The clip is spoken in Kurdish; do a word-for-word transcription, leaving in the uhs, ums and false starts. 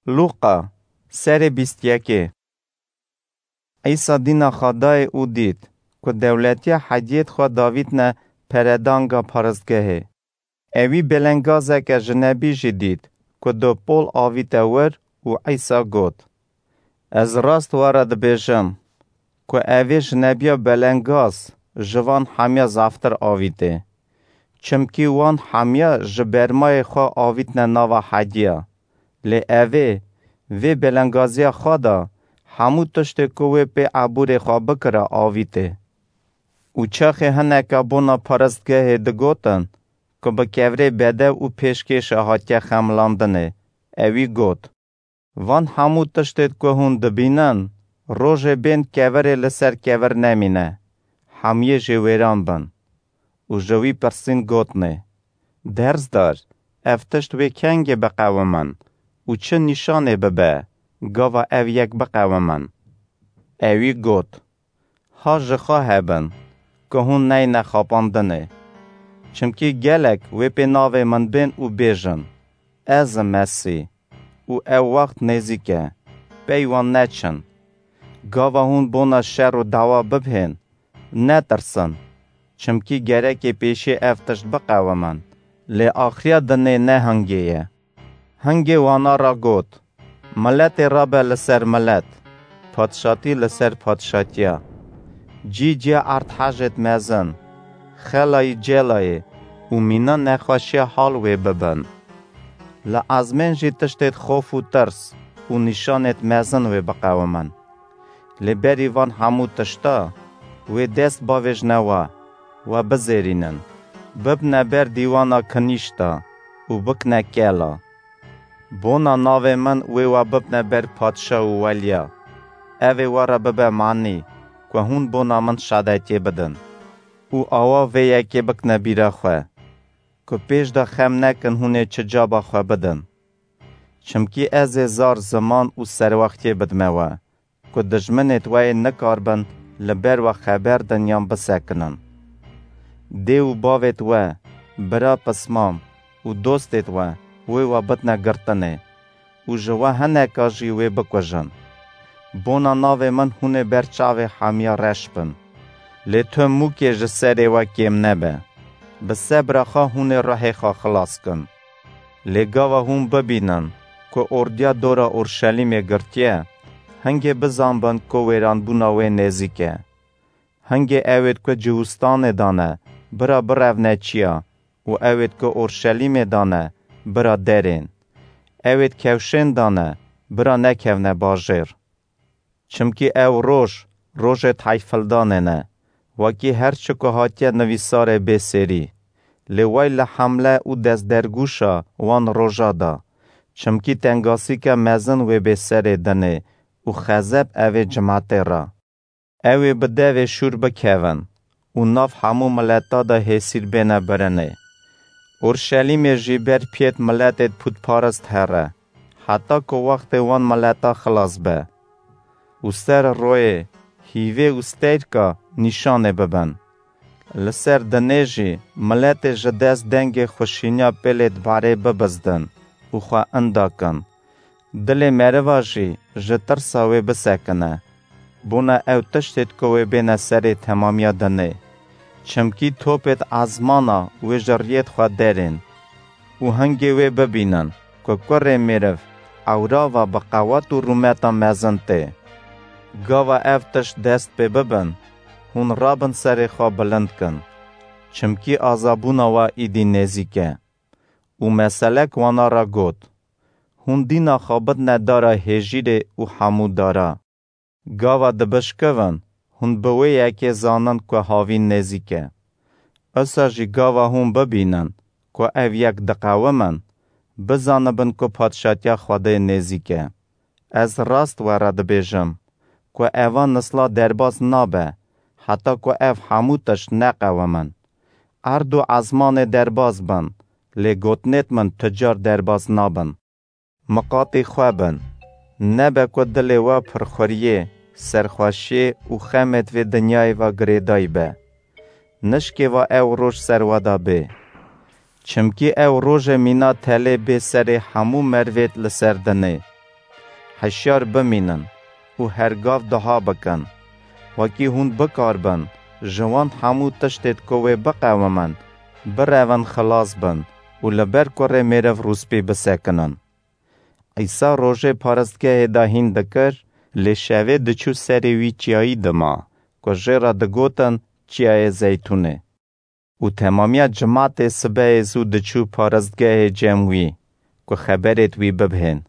Lûqa, serê bîst yekê. Îsa dîna xwe dayê û dît ku dewletiya hediyêt xwe davîtne peredanga paristgehê. Ewî belengazeke jinebî jî dît ku do pol avîte wir û Îsa got, Ez rast we re dibêjim ku evê jinebiya belengaz ji van hemiya zaftir avîtê. Çimkî wan hemiya ji bermayê xwe avîtne nava hediya. Lê evê, vê belengaziya xwe de hemû tiştê ku wê pê ebûrê xwe bikira avîtê. Û çaxê hineke bona paristgehê digotin ku bi kevirê bedew û pêşkêşa hatiye xemilandinê, ewî got, Van hemû tiştê ku hûn dibînin, rojê bên kevirê li ser kevir nemîne, hemiyê jê wêran bin. Û ji wî pirsîn gotnê, Derzdar, ev tişt wê kengê biqewimin û çi nîşanê bibe, gava ev yek biqewimin? Ewî got, Ha ji xwe hebin ku hûn neyne xapandinê. Çimkî gelek wê pê navê min bên û bêjin, Ez im Mesîh, û ew wext nêzîk e, pey wan neçin. Gava hûn bona şer û dawa bibhên, netirsin, çimkî gerekê pêşî ev tişt biqewimin, lê axiriya dinê ne hingê ye. Hingê wana re got, Miletê rabe li ser milet, padşatî li ser padşatiya. Cî ciya erdhejêt mezin, xelayî celayê û mîna nexweşiya hal wê bibin. Li ezmên jî tiştêt xof û tirs û nîşanêt mezin wê biqewimin. Lê berî van hemû tişta, wê dest bavêjne we, we bizêrînin, bibne ber dîwana kinîşta û bikne kela. Bona navê min wê we bibne ber padşa û weliya. Ev ê we re bibe manî ku hûn bona min şadetiyê bidin. Û awa vê yekê bikne bîra xwe, ku pêş de xem nekin hûn ê çi caba xwe bidin. Çimkî ez ê zar ziman û serwextiyê bidme we, ku dijminêt we yê nikaribin li ber we xeber din yan bisekinin. Dê û bavêt we, bira pismam û dostêt we, wê we bidne girtinê û ji we hineka jî wê bikujin. Bona navê min hûn ê ber çavê hemiya reş bin. Lê tu mûkê ji serê we kêm nebe. Bi sebra xwe hûn ê ruhê xwe xilas kin. Lê gava hûn bibînin ku ordiya dora Orşelîmê girtiye, hingê bizanbin ku wêranbûna wê nêzîk e. Hingê ewêt ku Cihûstanê de ne, bira birevne çiya û ewêt ku Orşelîmê de ne, bira derên. Ewêt kewşên de ne, bira nekevne bajêr. Çimkî ew roj, rojêt heyfildanê ne, wekî her çi ku hatiye nivîsarê bê sêrî. Lê wey li hemle û destdergûşa wan roja de, çimkî tengasîke mezin wê bê serê dinê û xezeb evê cimetê re. Ew ê bi devê şûr bikevin û nav hemû mileta de hêsîr bêne birinê. Orşelîmê jî ber piyêt miletêt pûtparist here, heta ku wextê wan mileta xilas be. Û ser royê, hîvê û steyrka nîşanê bibin. Li ser dinê jî miletê ji dest dengê xweşîniya pêlêt barê bibizdin û xwe inda kin. Dilê meriva jî ji tirsa wê bisekine. Bona ew tiştêt ku wê bêne serê temamiya dinê. Çimkî topêt ezmana wê ji riyêt xwe derên. Û hingê wê bibînin ku kurê mêriv ewra ve bi qewet û rûmeta mezin tê. Gava ev tişt dest pê bibin, hûn rabin serê xwe bilind kin. Çimkî azabûna we îdî nêzîk e. Û meselek wana re got, Hûn dîna xwe bidne dara hêjîrê û hemû dara. Gava dibişkivin, hûn bi wê yekê zanin ku havîn nêzîk e. Usa jî gava hûn bibînin ku ev yek diqewimin, bizanibin ku padşatiya Xwedê nêzîk e. Ez rast we re dibêjim ku eva nisla derbas nabe, heta ku ev hemû tişt neqewimin. Erd û ezmanê derbas bin, lê gotinêt min tu car derbas nabin. Miqatî xwe bin. Nebe ku dilê we pirxuriyê, serxweşiyê û xemêt vê dinyayê ve girêdayî be. Nişkê ve ew roj ser we de bê. Çimkî ew rojê mîna telê bê serê hemû merivêt li ser dinê. Hişyar bimînin û her gav duha bikin. Wekî hûn bikaribin ji wan hemû tiştêd ku wê biqewimin, birevin xilas bin û li ber kurê mêriv rûspî bisekinin. Îsa rojê paristgehê de hîn dikir, lê şevê diçû serê wî çiyayî dima, ku jê re digotin Çiyayê Zeytûnê. Û temamiya cimatê sibehê zû diçû paristgehê cem wî, ku xeberêd wî bibhên.